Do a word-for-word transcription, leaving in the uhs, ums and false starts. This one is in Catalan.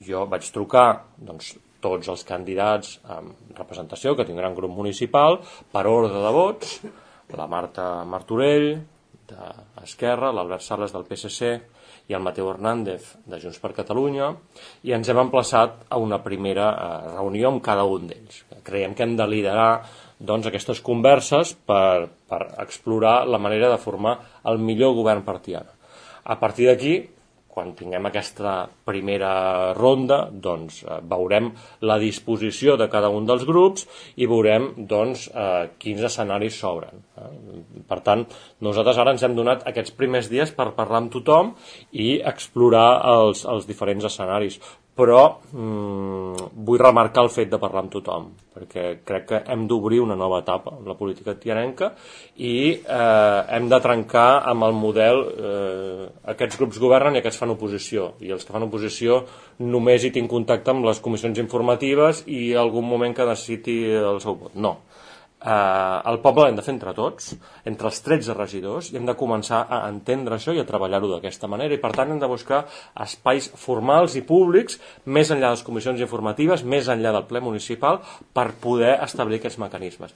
jo vaig trucar doncs, tots els candidats amb representació que tindran grup municipal per ordre de vots, la Marta Martorell d'Esquerra, l'Albert Sales del P S C i el Mateu Hernández de Junts per Catalunya, i ens hem emplaçat a una primera reunió amb cada un d'ells. Creiem que hem de liderar doncs, aquestes converses per, per explorar la manera de formar el millor govern per Tiana. A partir d'aquí, quan tinguem aquesta primera ronda, doncs eh, veurem la disposició de cada un dels grups i veurem doncs, eh, quins escenaris s'obren. Eh? Per tant, nosaltres ara ens hem donat aquests primers dies per parlar amb tothom i explorar els, els diferents escenaris. Però mm, vull remarcar el fet de parlar amb tothom, perquè crec que hem d'obrir una nova etapa en la política tianenca i eh, hem de trencar amb el model eh, aquests grups governen i aquests fan oposició, i els que fan oposició només hi tinc contacte amb les comissions informatives i algun moment que necessiti el seu vot. No. Eh, el poble l'hem de fer entre tots, entre els tretze regidors, i hem de començar a entendre això i a treballar-ho d'aquesta manera, i per tant hem de buscar espais formals i públics més enllà de les comissions informatives, més enllà del ple municipal, per poder establir aquests mecanismes.